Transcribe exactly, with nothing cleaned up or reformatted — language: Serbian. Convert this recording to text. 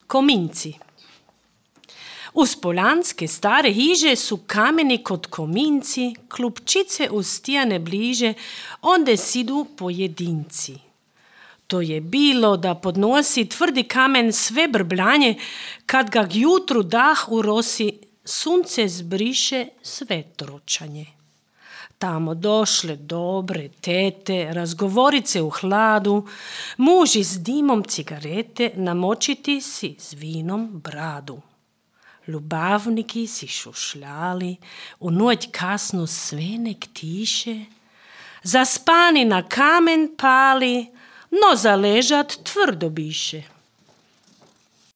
Kominci. Uz poljanske stare hiže su kameni kod kominci, klupčice ustijane bliže, onde sidu pojedinci. To je bilo da podnosi tvrdi kamen sve brbljanje, kad ga jutru dah urosi, sunce zbriše sve tročanje. Tamo došle dobre tete, razgovorice u hladu, muži s dimom cigarete, namočiti si s vinom bradu. Ljubavniki si šušljali, u noć kasno sve nek tiše, zaspani na kamen pali, no zaležat tvrdo biše.